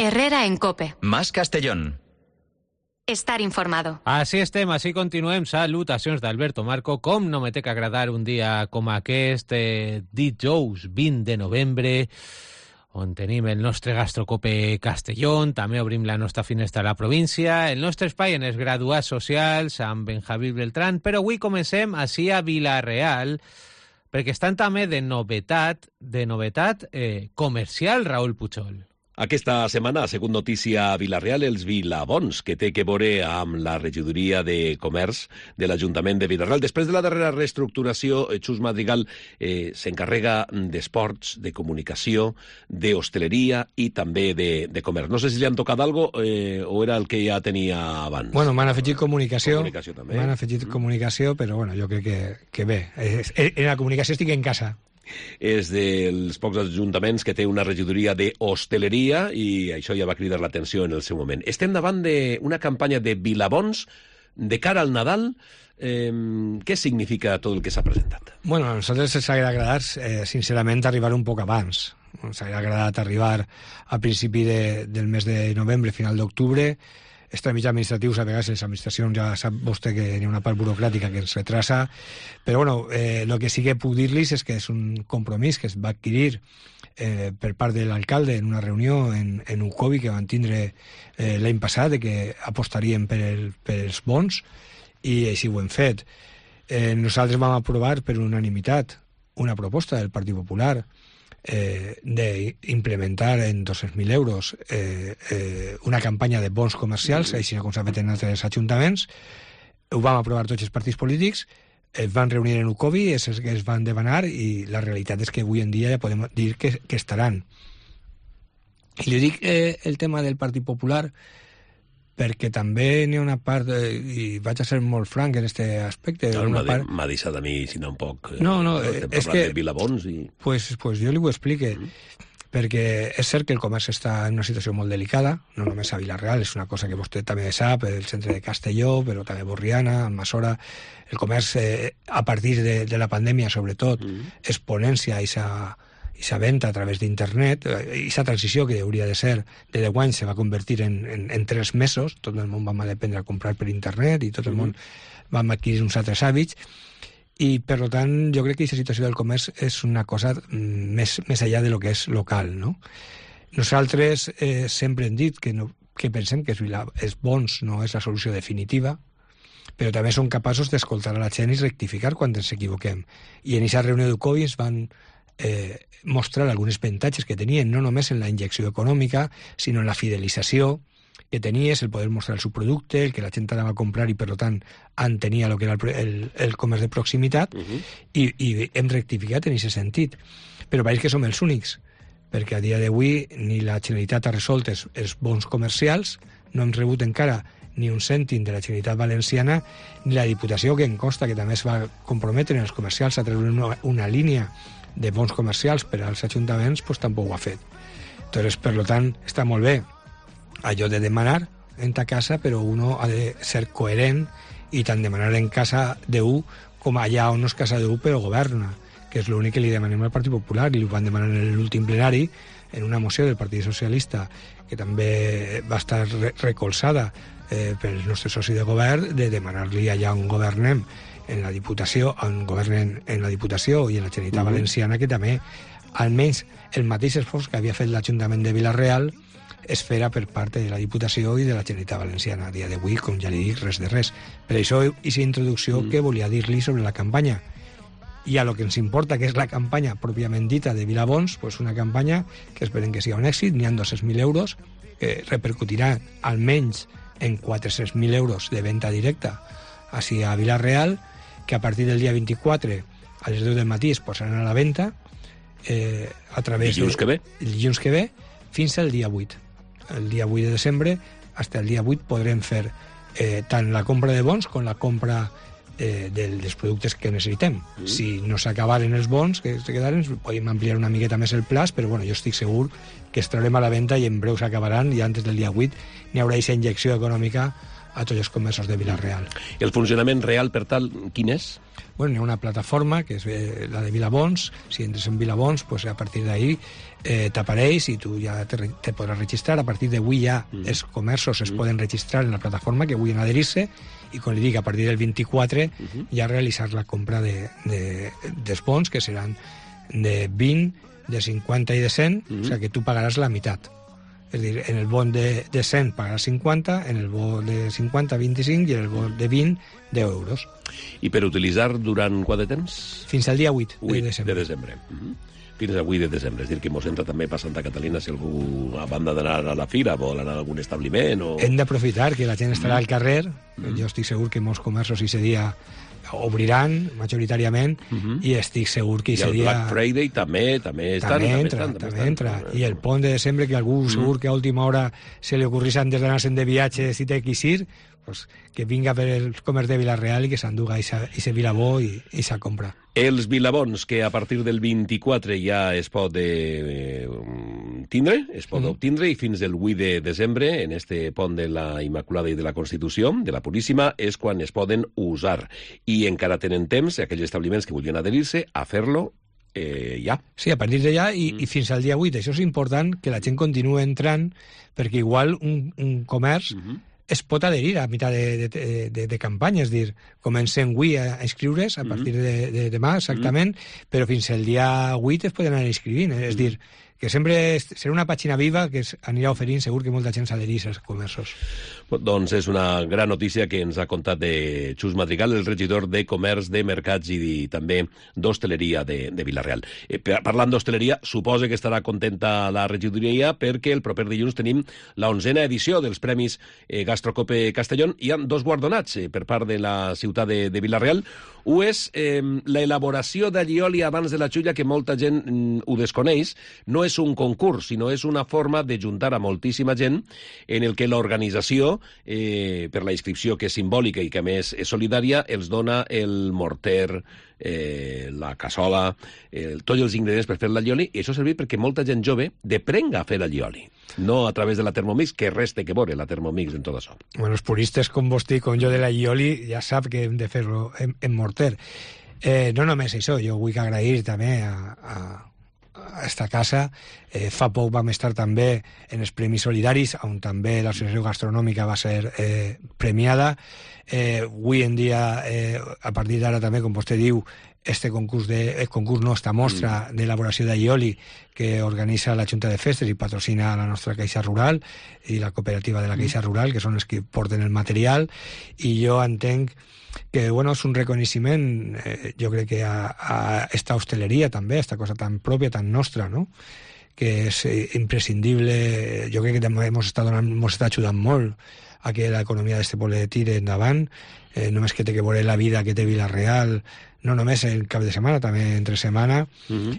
Herrera en COPE. Más Castellón. Estar informado. Així estem, així continuem. Salutacions d'Alberto Marco. Com no me té que agradar un dia com aquest, dijous 20 de novembre, on tenim el nostre Gastrocope Castellón, també obrim la nostra finestra a la província, el nostre espai en els graduats socials, amb en Javier Beltrán, però avui comencem així a Vila-real, perquè estan també de novetat comercial, Raúl Puchol. Aquesta setmana ha sigut notícia a Vila-real els Vilabons, que té que veure amb la regidoria de comerç de l'Ajuntament de Vila-real. Després de la darrera reestructuració, Xus Madrigal s'encarrega d'esports, de comunicació, d'hostaleria i també de comerç. No sé si li han tocat alguna cosa o era el que ja tenia abans. Bueno, m'han afegit comunicació. També. M'han afegit comunicació, però bueno, jo crec que bé. En la comunicació estic en casa. És dels pocs ajuntaments que té una regidoria d'hostaleria i això ja va cridar l'atenció en el seu moment. Estem davant d'una campanya de Vilabons de cara al Nadal. Què significa tot el que s'ha presentat? Bueno, a nosaltres ens hauria agradat, sincerament, arribar un poc abans. Ens hauria agradat arribar a principi del mes de novembre, final d'octubre. Els tràmits administratius, a vegades les administracions, ja sap vostè que hi ha una part burocràtica que ens retrasa, però bueno, el que sí que puc dir-los és que és un compromís que es va adquirir per part de l'alcalde en una reunió en Ucovi que van tindre l'any passat, de que apostarien per els bons, i així ho hem fet. Nosaltres vam aprovar per unanimitat una proposta del Partit Popular d'implementar en 200.000 euros una campanya de bons comercials, així com s'ha fet en altres ajuntaments. Ho vam aprovar tots els partits polítics, es van reunir en Ucovi, és el que es van demanar, i la realitat és que avui en dia ja podem dir que estaran. I li dic el tema del Partit Popular perquè també n'hi ha una part, i vaig a ser molt franc en aquest aspecte. M'ha deixat a mi, si no, un poc... No, és que... de Vilabons i... Pues jo li ho explique, perquè és cert que el comerç està en una situació molt delicada, no només a Vila-real, és una cosa que vostè també sap, el centre de Castelló, però també Borriana, Almassora. El comerç, a partir de la pandèmia, sobretot, exponència i sa venda a través d'internet, i sa transició que hauria de ser de 10 anys se va convertir en 3 mesos, tot el món vam aprendre a comprar per internet i tot el món vam adquirir uns altres hàbits, i per tant jo crec que aquesta situació del comerç és una cosa més enllà de lo que és local, no? Nosaltres sempre hem dit que pensem que els bons no és la solució definitiva, però també som capaços d'escoltar a la gent i rectificar quan ens equivoquem. I en aquesta reunió d'Ucovi ens van mostrar alguns avantatges que tenien, no només en la injecció econòmica, sinó en la fidelització que tenies, el poder mostrar el seu producte, el que la gent anava a comprar i, per tant, entenia el que era el comerç de proximitat, i hem rectificat en aquest sentit. Però pareix que som els únics, perquè a dia d'avui ni la Generalitat ha resolt els bons comercials, no hem rebut encara ni un cèntim de la Generalitat Valenciana, ni la Diputació, que em consta que també es va comprometre en els comercials a treure una línia de bons comercials per als ajuntaments, doncs tampoc ho ha fet. Entonces, per tant, està molt bé allò de demanar en ta casa, però uno ha de ser coherent i tant demanar en casa d'un com allà on no és casa d'un però governa, que és l'únic que li demanem al Partit Popular, i ho van demanar en l'últim plenari en una moció del Partit Socialista que també va estar recolzada pel nostre soci de govern, de demanar-li allà on governem en la Diputació, on governen en la Diputació i en la Generalitat Valenciana, que també almenys el mateix esforç que havia fet l'Ajuntament de Vila-real es fera per part de la Diputació i de la Generalitat Valenciana. A dia d'avui, com ja li dic, res de res. Per això, aquesta introducció que volia dir-li sobre la campanya. I a lo que ens importa, que és la campanya pròpiament dita de Vilabons, pues una campanya que esperem que sigui un èxit, n'hi ha 200.000 euros, que repercutirà almenys en 400.000 euros de venda directa així a Vila-real, que a partir del dia 24 a les 10 del matí es posaran a la venda a través dilluns que ve fins al dia 8. El dia 8 de desembre, fins al dia 8 podrem fer tant la compra de bons com la compra dels productes que necessitem. Si no s'acabaren els bons que se quedaren, podem ampliar una miqueta més el plaç, però bueno, jo estic segur que es traurem a la venda i en breu s'acabaran, i antes del dia 8 n'hi haurà aquesta injecció econòmica a tots els comerços de Vila-real. El funcionament real, per tal, quin és? Bueno, hi ha una plataforma, que és la de Vilabons. Si entres en Vilabons, pues a partir d'ahí t'apareix i tu ja te podràs registrar. A partir d'avui ja els comerços es poden registrar en la plataforma que vulguin adherir-se i, com li dic, a partir del 24 ja realitzar la compra dels bons, que seran de 20, de 50 i de 100, o sigui que tu pagaràs la meitat. És a dir, en el bon de 100 pagaràs 50, en el bon de 50, 25, i en el bon de 20, 10 euros. I per utilitzar durant quant de temps? Fins al dia 8 de desembre. De desembre. Fins al 8 de desembre. És a dir, que mos entra també per Santa Catalina si algú, a banda d'anar a la fira, vol anar a algun establiment o... Hem d'aprofitar que la gent estarà al carrer. Jo estic segur que molts comerços aquest dia obriran majoritàriament i estic segur que aquest dia... I el Black Friday també entra. I el pont de desembre, que algú segur que a última hora se li ocorrís antes d'anar-se'n de viatge si té que ir, pues, que vinga per el comerç de Vila-real i que s'enduga i Vilabó i se compra. Els Vilabons, que a partir del 24 ja es pot obtindre, i fins el 8 de desembre, en este pont de la Immaculada i de la Constitució, de la Puríssima, és quan es poden usar. I encara tenen temps, aquells establiments que vulguin adherir-se, a fer-lo ja. Sí, a partir d'allà i fins al dia 8. Això és important, que la gent continue entrant, perquè igual un comerç es pot adherir a mitjà de campanya, és dir, comencem avui a inscriure's a partir de demà, exactament, però fins al dia 8 es poden anar inscrivint, és dir, que sempre serà una pàgina viva que anirà oferint, segur que molta gent s'adherís als comerços. Doncs és una gran notícia que ens ha contat de Xus Madrigal, el regidor de Comerç, de Mercats i també d'Hostaleria de Vila-real. Parlant d'hostaleria, suposa que estarà contenta la regidoria perquè el proper dilluns tenim la 11a edició dels Premis Gastrocope Castellón. Hi ha dos guardonats per part de la ciutat de Vila-real. Un és l'elaboració d'allioli abans de la xulla, que molta gent ho desconeix. No és un concurs, sinó és una forma de juntar a moltíssima gent en el que l'organització, per la inscripció, que és simbòlica i que a més és solidària, els dona el morter, la cassola, tots els ingredients per fer l'allioli, i això serveix perquè molta gent jove deprenga a fer allioli, no a través de la Thermomix, que res té que veure la Thermomix en tot això. Bueno, els puristes com vostè i com jo de l'allioli ja sap que hem de fer-lo en morter. No només això, jo vull agrair també a esta casa. Fa poc vam estar també en els Premis Solidaris, on també l'associació gastronòmica va ser premiada. Avui en dia, a partir d'ara també, com vostè diu, esta mostra d'elaboració d'allioli que organitza la Junta de Festes i patrocina la nostra Caixa Rural i la cooperativa de la Caixa Rural, que són els que porten el material, i jo entenc que bueno, és un reconeixement, jo crec que a esta hosteleria també, a esta cosa tan pròpia, tan nostra, no?, que és imprescindible. Jo crec que també ens està ajudant molt a que l'economia d'este poble tire endavant, només que té que veure la vida que té Vila-real, no només el cap de setmana, també entre setmana,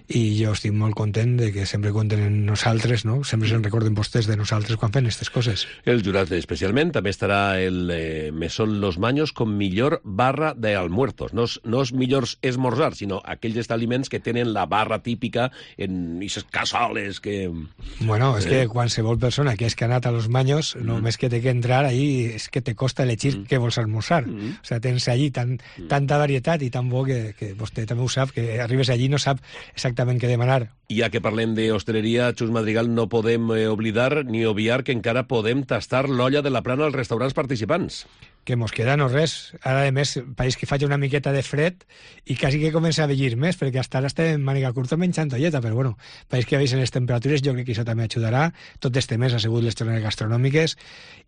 i jo estic molt content de que sempre compten en nosaltres, no? Sempre se'n recorden vostès de nosaltres quan fem aquestes coses. El jurat especialment també estarà el Mesón Los Maños com millor barra d'almuerzos. No és millors esmorzar, sinó aquells establiments que tenen la barra típica en aquestes cassoles que... Bueno, és que qualsevol persona que és que ha anat a Los Maños, només que té que entrar ahí és que te costa elegir què vols almorzar. O sea, tens allí tanta varietat i tan bo que vostè també ho sap, que arribes allí i no sap exactament què demanar. Ja que parlem d'hostaleria, Xus Madrigal, no podem oblidar ni obviar que encara podem tastar l'olla de la plana als restaurants participants. Que mos queda no res. Ara, a més, pareix que faig una miqueta de fred i quasi que comença a vellir més, perquè hasta ara estem en màniga curta menjant olleta, però bueno, pareix que veus en les temperatures, jo crec que això també ajudarà. Tot este mes ha sigut les torneres gastronòmiques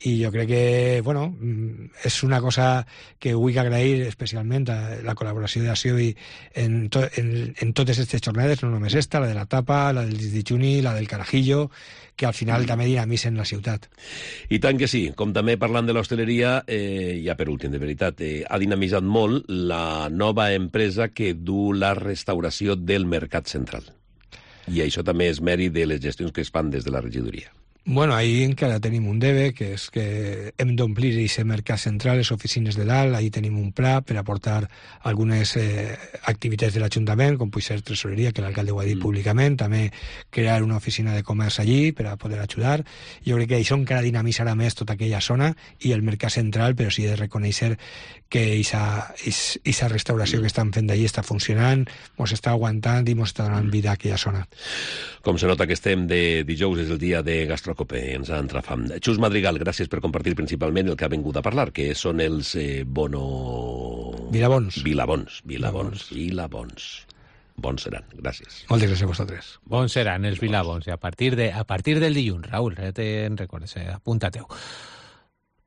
i jo crec que, bueno, és una cosa que vull agrair especialment a la col·laboració d'Acció i en totes aquestes jornades, no només esta, la de la tapa, la del dijuni, la del carajillo, que al final també dinamitzen la ciutat. I tant que sí, com també parlant de l'hostaleria, ja per últim, de veritat, ha dinamitzat molt la nova empresa que du la restauració del Mercat Central. I això també és mèrit de les gestions que es fan des de la regidoria. Bueno, ahí encara tenim un debe, que és que hem d'omplir aquest mercat central, les oficines de dalt, ahí tenim un pla per aportar algunes activitats de l'Ajuntament, com pot ser tresoreria, que l'alcalde ho ha dit públicament, també crear una oficina de comerç allí per a poder ajudar. Jo crec que això encara dinamitzarà més tota aquella zona i el mercat central, però sí de reconèixer que aquesta restauració que estan fent d'allí està funcionant, ens està aguantant i ens està donant vida a aquella zona. Com se nota que estem de dijous, és el dia de Gastrocope, ens ha entrat fam. Xus Madrigal, gràcies per compartir principalment el que ha vingut a parlar, que són els Vilabons. Bons seran, gràcies. Moltes gràcies a vosaltres. Bons seran els Vilabons, i a partir del dilluns, Raül, te'n recordes, apunta-teu.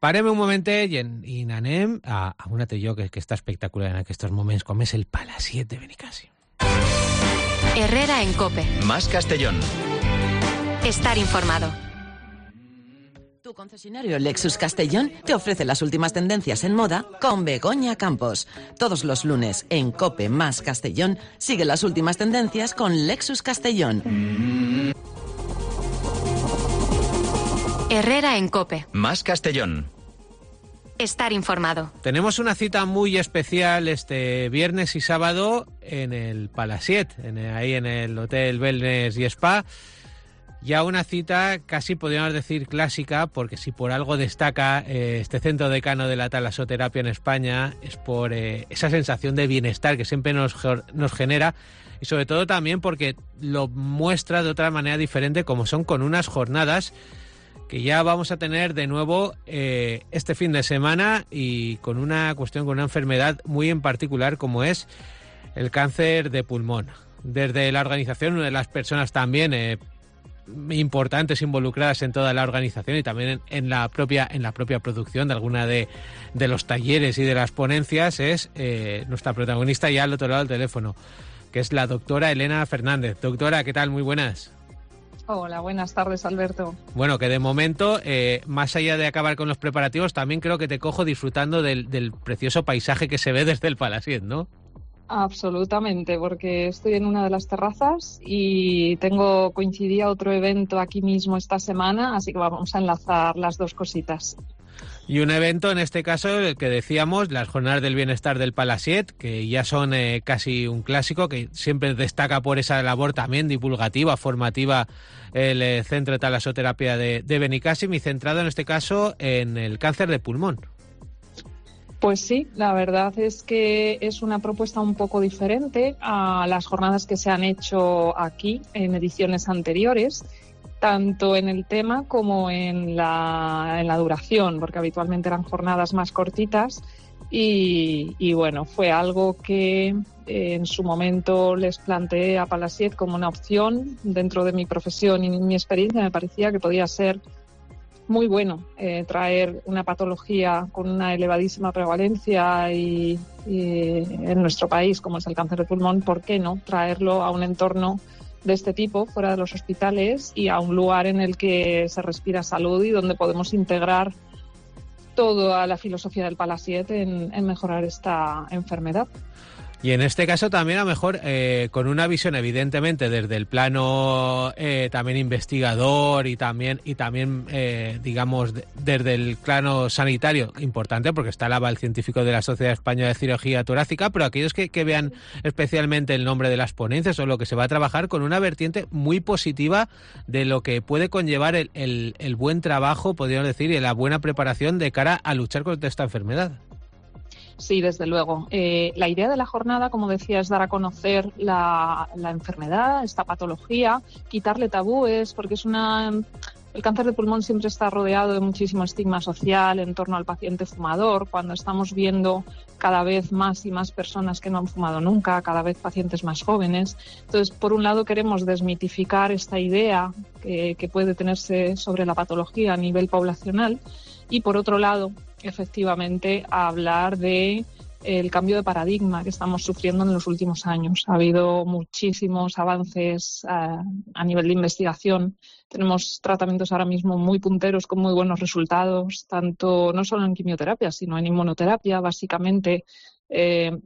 Parem un momentet i anem a un altre lloc que està espectacular en aquests moments, com és el Palaciet de Benicàssim. Herrera en COPE. Más Castellón. Estar informado. Tu concesionario Lexus Castellón te ofrece las últimas tendencias en moda con Begoña Campos. Todos los lunes en COPE Más Castellón sigue las últimas tendencias con Lexus Castellón. Herrera en COPE. Más Castellón. Estar informado. Tenemos una cita muy especial este viernes y sábado en el Palaciet, ahí en el Hotel Wellness y Spa. Ya una cita casi podríamos decir clásica, porque si por algo destaca este centro decano de la talasoterapia en España es por esa sensación de bienestar que siempre nos genera, y sobre todo también porque lo muestra de otra manera diferente, como son con unas jornadas que ya vamos a tener de nuevo este fin de semana, y con una enfermedad muy en particular como es el cáncer de pulmón. Desde la organización, una de las personas también importantes involucradas en toda la organización y también en la propia producción de alguna de los talleres y de las ponencias, es nuestra protagonista ya al otro lado del teléfono, que es la doctora Elena Fernández. Doctora, ¿qué tal? Muy buenas. Hola, buenas tardes, Alberto. Bueno, que de momento, más allá de acabar con los preparativos, también creo que te cojo disfrutando del precioso paisaje que se ve desde el Palaciet, ¿no? Absolutamente, porque estoy en una de las terrazas y coincidía otro evento aquí mismo esta semana, así que vamos a enlazar las dos cositas. Y un evento, en este caso, el que decíamos, las Jornadas del Bienestar del Palaciet, que ya son casi un clásico, que siempre destaca por esa labor también divulgativa, formativa, el Centro de Talasoterapia de Benicàssim, y centrado en este caso en el cáncer de pulmón. Pues sí, la verdad es que es una propuesta un poco diferente a las jornadas que se han hecho aquí en ediciones anteriores, tanto en el tema como en la duración, porque habitualmente eran jornadas más cortitas y bueno, fue algo que en su momento les planteé a Palaciet como una opción. Dentro de mi profesión y mi experiencia me parecía que podía ser muy bueno traer una patología con una elevadísima prevalencia y en nuestro país, como es el cáncer de pulmón, ¿por qué no traerlo a un entorno de este tipo, fuera de los hospitales, y a un lugar en el que se respira salud y donde podemos integrar toda la filosofía del Palaciet en mejorar esta enfermedad? Y en este caso también, a lo mejor, con una visión evidentemente desde el plano también investigador y también digamos, desde el plano sanitario, importante, porque está el aval científico de la Sociedad Española de Cirugía Torácica, pero aquellos que vean especialmente el nombre de las ponencias o lo que se va a trabajar, con una vertiente muy positiva de lo que puede conllevar el buen trabajo, podríamos decir, y la buena preparación de cara a luchar contra esta enfermedad. Sí, desde luego. La idea de la jornada, como decía, es dar a conocer la enfermedad, esta patología, quitarle tabúes, porque el cáncer de pulmón siempre está rodeado de muchísimo estigma social en torno al paciente fumador, cuando estamos viendo cada vez más y más personas que no han fumado nunca, cada vez pacientes más jóvenes. Entonces, por un lado, queremos desmitificar esta idea que puede tenerse sobre la patología a nivel poblacional, y por otro lado, efectivamente, a hablar de el cambio de paradigma que estamos sufriendo en los últimos años. Ha habido muchísimos avances a nivel de investigación. Tenemos tratamientos ahora mismo muy punteros con muy buenos resultados, tanto no solo en quimioterapia, sino en inmunoterapia, básicamente,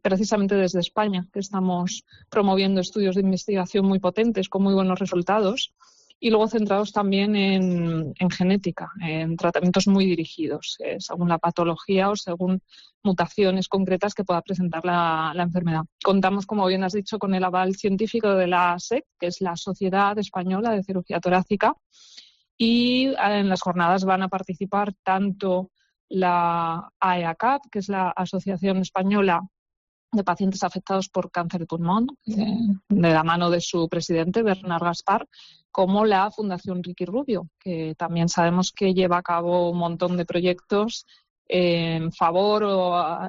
precisamente desde España, que estamos promoviendo estudios de investigación muy potentes con muy buenos resultados. y luego centrados también en genética, en tratamientos muy dirigidos, según la patología o según mutaciones concretas que pueda presentar la enfermedad. Contamos, como bien has dicho, con el aval científico de la SEC, que es la Sociedad Española de Cirugía Torácica, y en las jornadas van a participar tanto la AEACAP, que es la Asociación Española de Pacientes Afectados por Cáncer de Pulmón, de la mano de su presidente, Bernard Gaspar, como la Fundación Ricky Rubio, que también sabemos que lleva a cabo un montón de proyectos en favor o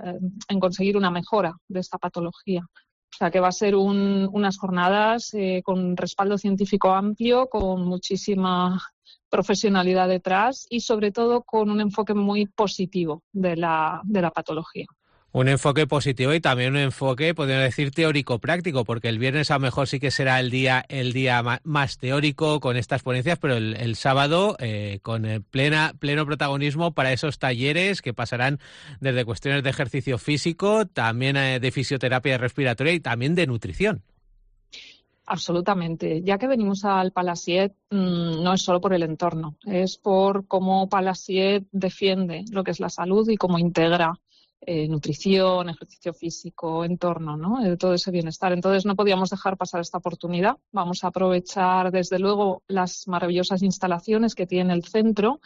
en conseguir una mejora de esta patología. O sea que va a ser unas jornadas con respaldo científico amplio, con muchísima profesionalidad detrás y sobre todo con un enfoque muy positivo de la patología. Un enfoque positivo y también un enfoque, podríamos decir, teórico-práctico, porque el viernes a lo mejor sí que será el día más teórico con estas ponencias, pero el sábado con el pleno protagonismo para esos talleres que pasarán desde cuestiones de ejercicio físico, también de fisioterapia respiratoria y también de nutrición. Absolutamente. Ya que venimos al Palasiet, no es solo por el entorno, es por cómo Palasiet defiende lo que es la salud y cómo integra nutrición, ejercicio físico, entorno, ¿no? Todo ese bienestar. Entonces no podíamos dejar pasar esta oportunidad. Vamos a aprovechar, desde luego, las maravillosas instalaciones que tiene el centro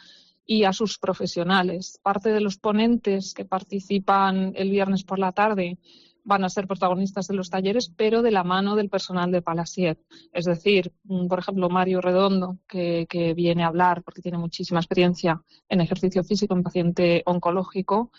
y a sus profesionales. Parte de los ponentes que participan el viernes por la tarde van a ser protagonistas de los talleres, pero de la mano del personal de Palasiet. Es decir, por ejemplo, Mario Redondo, que viene a hablar porque tiene muchísima experiencia en ejercicio físico en paciente oncológico,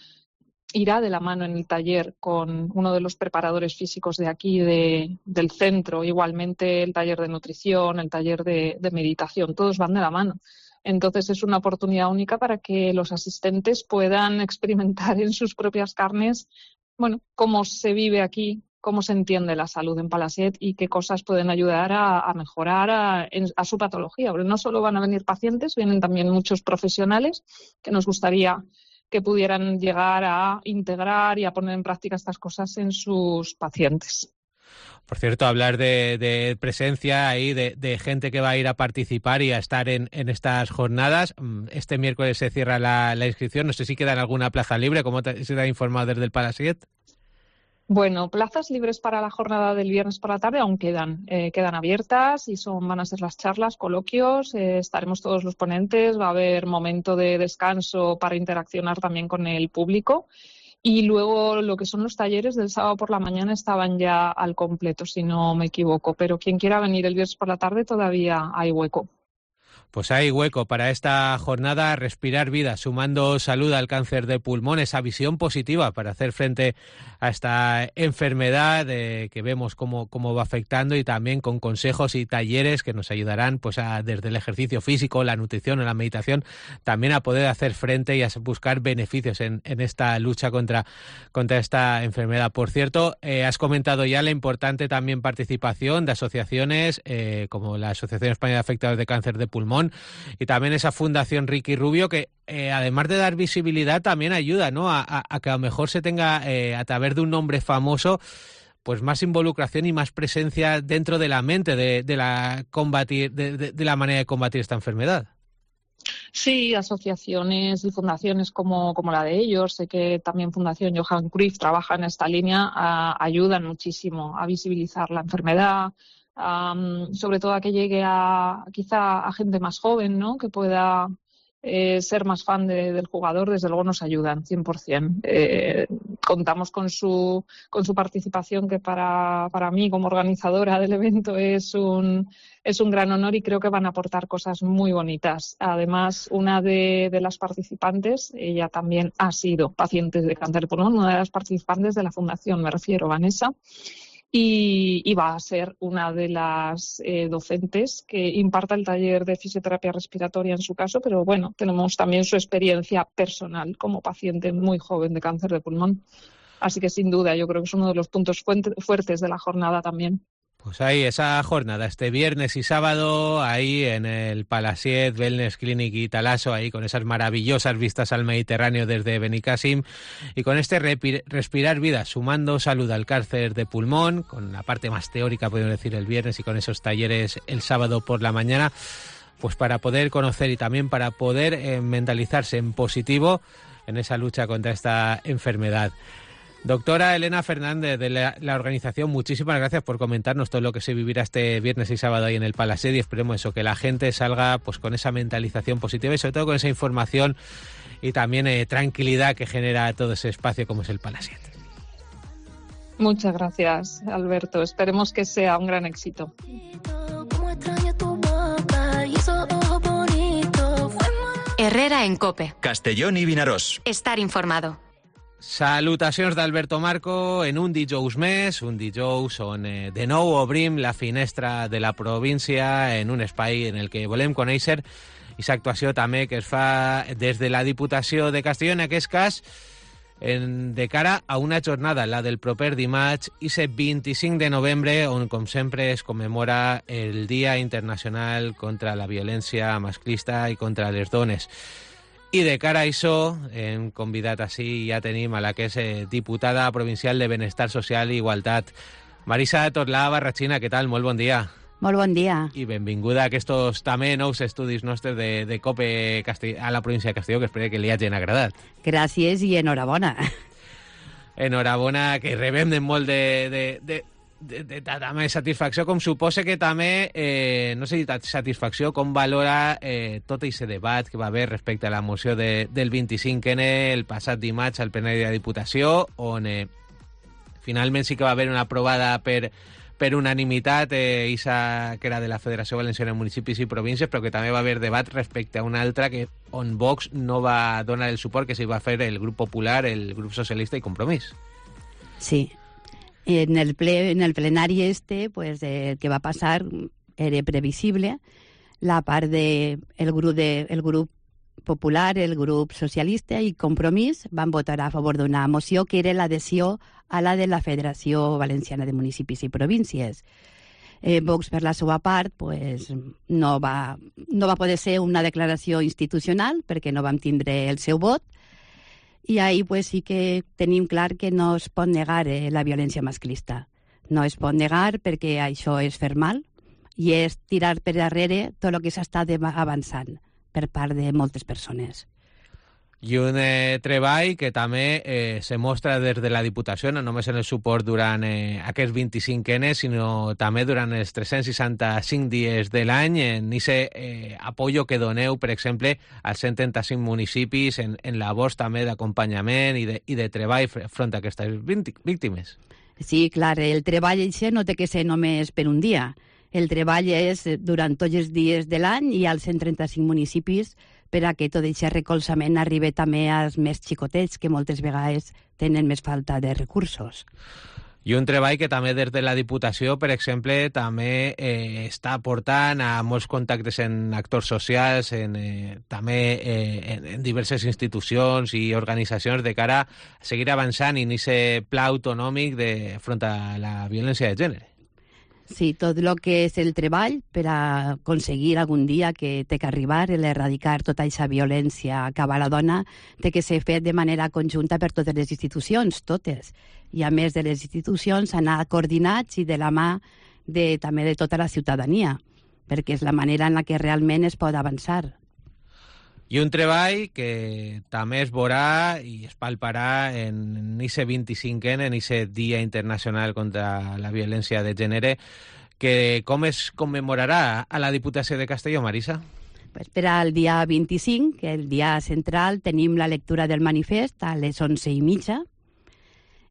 irá de la mano en el taller con uno de los preparadores físicos de aquí, del centro. Igualmente el taller de nutrición, el taller de meditación, todos van de la mano. Entonces es una oportunidad única para que los asistentes puedan experimentar en sus propias carnes, bueno, cómo se vive aquí, cómo se entiende la salud en Palasiet y qué cosas pueden ayudar a mejorar a su patología. Porque no solo van a venir pacientes, vienen también muchos profesionales que nos gustaría que pudieran llegar a integrar y a poner en práctica estas cosas en sus pacientes. Por cierto, hablar de presencia ahí, de gente que va a ir a participar y a estar en estas jornadas. Este miércoles se cierra la inscripción. No sé si queda en alguna plaza libre. ¿Cómo se te ha informado desde el Palasiet? Bueno, plazas libres para la jornada del viernes por la tarde aún quedan abiertas y van a ser las charlas, coloquios, estaremos todos los ponentes, va a haber momento de descanso para interaccionar también con el público y luego lo que son los talleres del sábado por la mañana estaban ya al completo, si no me equivoco, pero quien quiera venir el viernes por la tarde todavía hay hueco. Pues hay hueco para esta jornada Respirar Vida, sumando salud al cáncer de pulmón, esa visión positiva para hacer frente a esta enfermedad que vemos cómo va afectando y también con consejos y talleres que nos ayudarán pues desde el ejercicio físico, la nutrición o la meditación, también a poder hacer frente y a buscar beneficios en esta lucha contra esta enfermedad. Por cierto, has comentado ya la importante también participación de asociaciones como la Asociación Española de Afectados de Cáncer de Pulmón y también esa Fundación Ricky Rubio que además de dar visibilidad también ayuda, ¿no? a que a lo mejor se tenga a través de un nombre famoso pues más involucración y más presencia dentro de la mente de la manera de combatir esta enfermedad. Sí, asociaciones y fundaciones como la de ellos, sé que también Fundación Johan Cruyff trabaja en esta línea, ayudan muchísimo a visibilizar la enfermedad, sobre todo a que llegue quizá a gente más joven, ¿no? Que pueda ser más fan del jugador. Desde luego nos ayudan 100%. Contamos con su participación, que para mí como organizadora del evento es un gran honor y creo que van a aportar cosas muy bonitas. Además, una de las participantes, ella también ha sido paciente de cáncer de pulmón, una de las participantes de la fundación, me refiero, Vanessa, y va a ser una de las docentes que imparta el taller de fisioterapia respiratoria en su caso, pero bueno, tenemos también su experiencia personal como paciente muy joven de cáncer de pulmón. Así que sin duda yo creo que es uno de los puntos fuertes de la jornada también. Pues ahí, esa jornada, este viernes y sábado, ahí en el Palasiet Wellness Clinic y Talaso, ahí con esas maravillosas vistas al Mediterráneo desde Benicàssim, y con este Respirar Vida, sumando salud al cáncer de pulmón, con la parte más teórica, podemos decir, el viernes, y con esos talleres el sábado por la mañana. pues para poder conocer y también para poder mentalizarse en positivo en esa lucha contra esta enfermedad. Doctora Elena Fernández, de la organización, muchísimas gracias por comentarnos todo lo que se vivirá este viernes y sábado ahí en el Palacete, y esperemos eso, que la gente salga pues con esa mentalización positiva y sobre todo con esa información y también tranquilidad que genera todo ese espacio como es el Palacete. Muchas gracias, Alberto. Esperemos que sea un gran éxito. Herrera en COPE. Castellón i Vinaròs. Estar informado. Salutacions d'Alberto Marco en un dijous més, un dijous on de nou obrim la finestra de la província en un espai en el que volem conèixer aquesta actuació també que es fa des de la Diputació de Castelló, en aquest cas de cara a una jornada, la del proper dimarts, i 25 de novembre, on com sempre es commemora el Dia Internacional contra la Violència Masclista i contra les dones. I de cara a això, hem convidat així, ja tenim a la que és diputada provincial de Benestar Social i Igualtat, Marisa Torlà Barrachina. Què tal? Molt bon dia. Molt bon dia. I benvinguda a aquests també nous estudis nostres de COPE a la província de Castelló, que espero que li hagin agradat. Gràcies i enhorabona. Enhorabona, que rebem de molt de també satisfacció, com suposa que també, no sé si satisfacció, com valora tot aquest debat que va haver respecte a la moció del 25N el passat dimarts al plenari de la Diputació, on finalment sí que va haver una aprovada per unanimitat, isa que era de la Federació Valenciana de Municipis i Províncies, però que també va haver debat respecte a una altra on Vox no va donar el suport que s'hi va fer el grup popular, el grup socialista i Compromís. Sí. En el plenari pues, el que va passar era previsible. La part del grup popular, el grup socialista i Compromís van votar a favor d'una moció que era l'adhesió a la de la Federació Valenciana de Municipis i Províncies. Vox, per la seva part, pues, no va poder ser una declaració institucional perquè no vam tindre el seu vot, i ahí pues, sí que tenim clar que no es pot negar la violència masclista. No es pot negar perquè això és fer mal i és tirar per darrere tot el que s'està avançant per part de moltes persones. I un treball que també se mostra des de la Diputació, no només en el suport durant aquests 25N, sinó també durant els 365 dies de l'any, en aquest apoyo que doneu, per exemple, als 135 municipis en labors també d'acompanyament i de treball front a aquestes víctimes. Sí, clar, el treball això no té que ser només per un dia. El treball és durant tots els dies de l'any i als 135 municipis per a que tot aquest recolzament arribi també als més xicotets, que moltes vegades tenen més falta de recursos. I un treball que també des de la Diputació, per exemple, també està portant a molts contactes en actors socials, també en diverses institucions i organitzacions de cara a seguir avançant en aquest pla autonòmic front a la violència de gènere. Sí, tot el que és el treball per a aconseguir algun dia que té que arribar, l'erradicar tota aquesta violència cap a la dona, té que ser fet de manera conjunta per totes les institucions, totes. I a més de les institucions, anar coordinats i de la mà també de tota la ciutadania, perquè és la manera en la que realment es pot avançar. I un treball que també es veurà i es palparà en aquest 25N, en aquest Dia Internacional contra la Violència de Gènere, que com es commemorarà a la Diputació de Castelló, Marisa? Pues per al dia 25, que el dia central, tenim la lectura del manifest a les 11:30,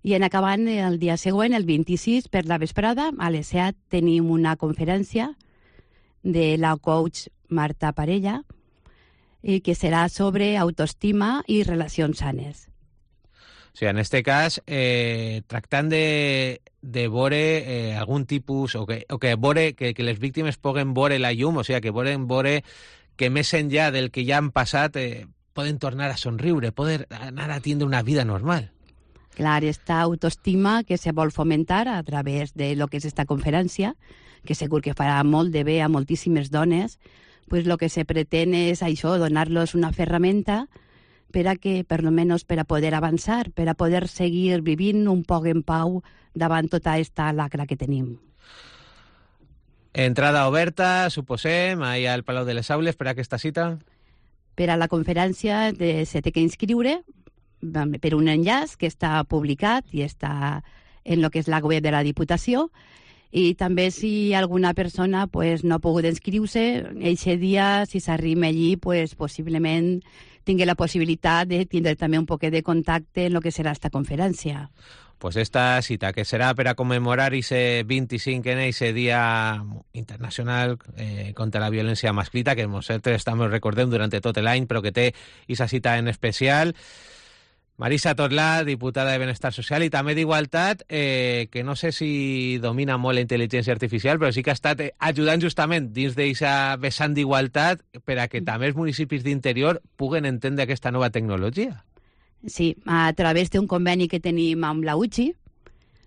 i en acabant el dia següent, el 26, per la vesprada, a les 7, tenim una conferència de la coach Marta Parella, que serà sobre autoestima i relacions sanes. O sigui, en aquest cas, tractant de veure algun tipus, o que les víctimes puguen veure la llum, o sigui, que poden veure que més enllà del que ja han passat poden tornar a somriure, poden anar a tindre una vida normal. Clar, esta autoestima que se vol fomentar a través de lo que és esta conferència, que segur que farà molt de bé a moltíssimes dones, pues lo que se pretén és això, donar-los una ferramenta per a que, per almenys per a poder avançar, per a poder seguir vivint un poc en pau davant tota esta lacra que tenim. Entrada oberta, suposem, ahí al Palau de les Aules per a aquesta cita? Per a la conferència se té que inscriure per un enllaç que està publicat i està en lo que és la web de la Diputació, i també si alguna persona pues, no ha pogut inscriure, eixe dia, si s'arrima allí, pues, possiblement tingui la possibilitat de tindre també un poquet de contacte en lo que serà esta conferència. Pues esta cita, que serà per a commemorar ese 25 en ese Dia Internacional contra la Violència Masclita, que nosaltres estamos recordem durant tot l'any, però que té aquesta cita en especial. Marisa Torlà, diputada de Benestar Social i també d'Igualtat, que no sé si domina molt la intel·ligència artificial, però sí que ha estat ajudant justament dins d'aquesta vessant d'igualtat per a que també els municipis d'interior puguen entendre aquesta nova tecnologia. Sí, a través d'un conveni que tenim amb la UCI,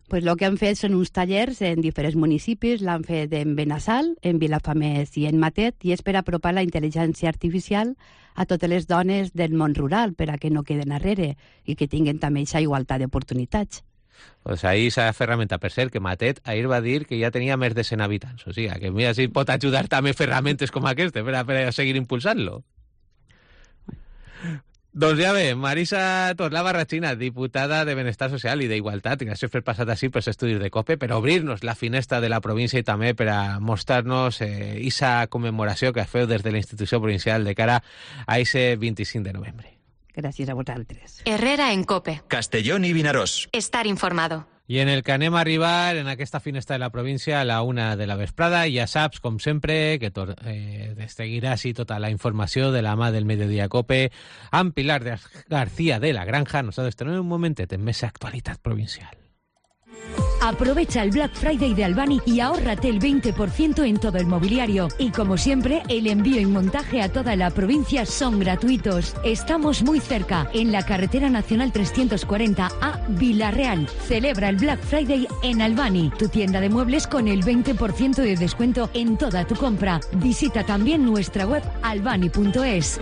pues el que han fet són uns tallers en diferents municipis, l'han fet en Benassal, en Vilafamés i en Matet, i és per apropar la intel·ligència artificial a totes les dones del món rural, per a que no queden darrere i que tinguin també aquesta igualtat d'oportunitats. Pues ahí esa ferramenta, per cert, que Matet ahir va dir que ja tenia més de 100 habitants. O sigui, que mira si pot ajudar també ferramentes com aquesta per a seguir impulsant-lo. Doncs ja bé, Marisa Torlà Barrachina, diputada de Benestar Social i d'Igualtat, gràcies per passar així pels estudis de COPE, per obrir-nos la finestra de la província i també per a mostrar-nos aquesta commemoració que feu des de la institució provincial de cara a ese 25 de novembre. Gràcies a vosaltres. Herrera en COPE. Castellón y Vinaròs. Estar informado. I en el que anem a arribar en aquesta finestra de la província a la 1 de la vesprada, ja saps, com sempre, que seguirà així tota la informació de la mà del Mediodía COPE amb Pilar García de la Granja. Nosaltres tenim un momentet en més actualitat provincial. Aprovecha el Black Friday de Albani y ahórrate el 20% en todo el mobiliario. Y como siempre, el envío y montaje a toda la provincia son gratuitos. Estamos muy cerca, en la carretera nacional 340 a Villarreal. Celebra el Black Friday en Albani, tu tienda de muebles con el 20% de descuento en toda tu compra. Visita también nuestra web albani.es.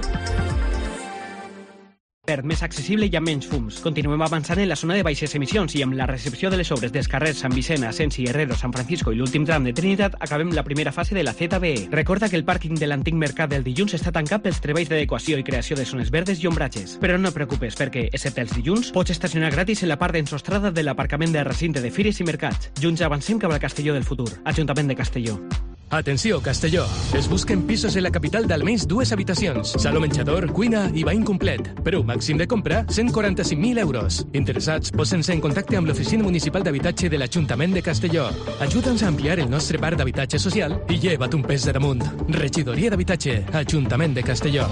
Més accessible i amb menys fums. Continuem avançant en la zona de baixes emissions i amb la recepció de les obres dels carrers Sant Vicent, Asensi, Herrero, San Francisco i l'últim tram de Trinitat acabem la primera fase de la ZBE. Recorda que el pàrquing de l'antic mercat del dilluns està tancat pels treballs d'adequació i creació de zones verdes i ombratges. Però no et preocupes perquè, excepte els dilluns, pots estacionar gratis en la part d'ensostrada de l'aparcament de recinte de fires i mercats. Junts avancem cap al Castelló del futur. Ajuntament de Castelló. Atenció, Castelló. Es busquen pisos en la capital d'almenys 2 habitacions. Saló menjador, cuina i bany complet. Preu màxim de compra, 145.000 euros. Interessats, posen-se en contacte amb l'Oficina Municipal d'Habitatge de l'Ajuntament de Castelló. Ajuda'ns a ampliar el nostre parc d'habitatge social i lleva't un pes de damunt. Regidoria d'Habitatge, Ajuntament de Castelló.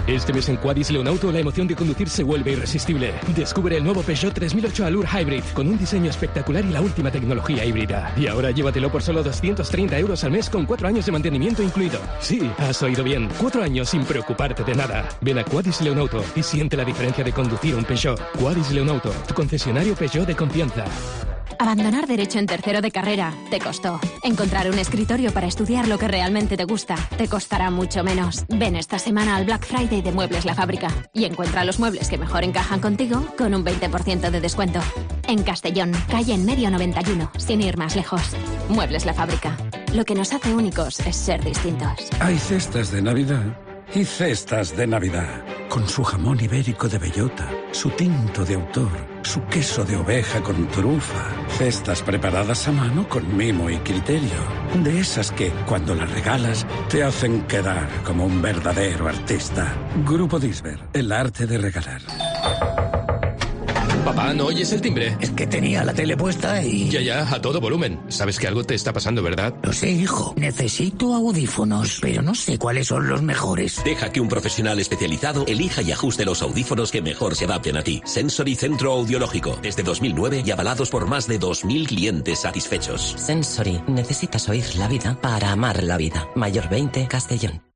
Este mes en Quadis Leonauto la emoción de conducir se vuelve irresistible. Descubre el nuevo Peugeot 3008 Allure Hybrid con un diseño espectacular y la última tecnología híbrida. Y ahora llévatelo por solo 230 euros al mes con 4 años de mantenimiento incluido. Sí, has oído bien. 4 años sin preocuparte de nada. Ven a Quadis Leonauto y siente la diferencia de conducir un Peugeot. Quadis Leonauto, tu concesionario Peugeot de confianza. Abandonar Derecho en tercero de carrera te costó. Encontrar un escritorio para estudiar lo que realmente te gusta te costará mucho menos. Ven esta semana al Black Friday de Muebles La Fábrica y encuentra los muebles que mejor encajan contigo con un 20% de descuento. En Castellón, calle en Medio 91, sin ir más lejos. Muebles La Fábrica. Lo que nos hace únicos es ser distintos. Hay cestas de Navidad y cestas de Navidad. Con su jamón ibérico de bellota, su tinto de autor, su queso de oveja con trufa. Cestas preparadas a mano con mimo y criterio. De esas que, cuando las regalas, te hacen quedar como un verdadero artista. Grupo Disber, el arte de regalar. Papá, ¿no oyes el timbre? Es que tenía la tele puesta y... Ya, a todo volumen. Sabes que algo te está pasando, ¿verdad? Lo sé, hijo. Necesito audífonos, pero no sé cuáles son los mejores. Deja que un profesional especializado elija y ajuste los audífonos que mejor se adapten a ti. Sensory Centro Audiológico. Desde 2009 y avalados por más de 2.000 clientes satisfechos. Sensory. Necesitas oír la vida para amar la vida. Mayor 20, Castellón.